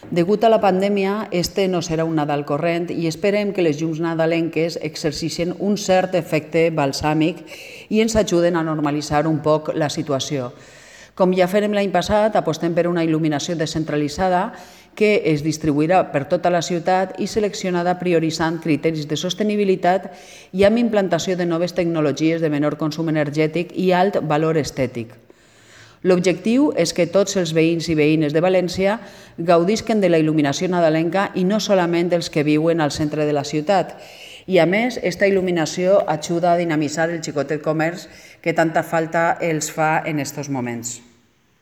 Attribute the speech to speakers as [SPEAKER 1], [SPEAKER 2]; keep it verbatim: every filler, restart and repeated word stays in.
[SPEAKER 1] Degut a la pandèmia, este no serà un Nadal corrent i esperem que les llums nadalenques exerceixin un cert efecte balsàmic i ens ajuden a normalitzar un poc la situació. Com ja farem l'any passat, apostem per una il·luminació descentralitzada que es distribuirà per tota la ciutat i seleccionada prioritzant criteris de sostenibilitat i amb implantació de noves tecnologies de menor consum energètic i alt valor estètic. L'objectiu és que tots els veïns i veïnes de València gaudisquen de la il·luminació nadalenca i no solament els que viuen al centre de la ciutat. I a més, aquesta il·luminació ajuda a dinamitzar el xicotet comerç que tanta falta els fa en aquests moments.